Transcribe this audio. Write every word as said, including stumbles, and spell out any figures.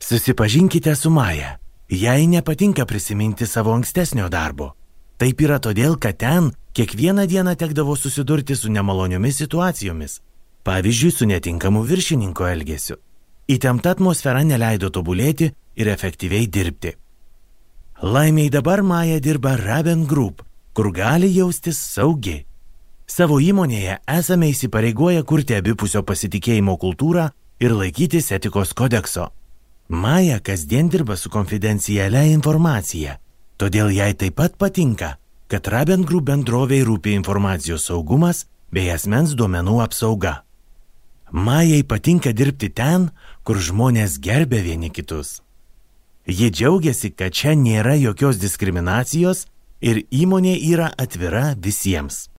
Susipažinkite su Maja. Jai nepatinka prisiminti savo ankstesnio darbo. Taip yra todėl, kad ten kiekvieną dieną tekdavo susidurti su nemaloniomis situacijomis. Pavyzdžiui, su netinkamu viršininko elgesiu. Įtempta atmosfera neleido tobulėti ir efektyviai dirbti. Laimiai dabar Maja dirba Raben Group, kur gali jaustis saugi. Savo įmonėje esame įsipareigoję kurti abipusio pasitikėjimo kultūrą ir laikytis etikos kodekso. Maja kasdien dirba su konfidencialia informacija, todėl jai taip pat patinka, kad Raben Group bendrovei rūpi informacijos saugumas bei asmens duomenų apsauga. Majai patinka dirbti ten, kur žmonės gerbia vieni kitus. Ji džiaugiasi, kad čia nėra jokios diskriminacijos ir įmonė yra atvira visiems.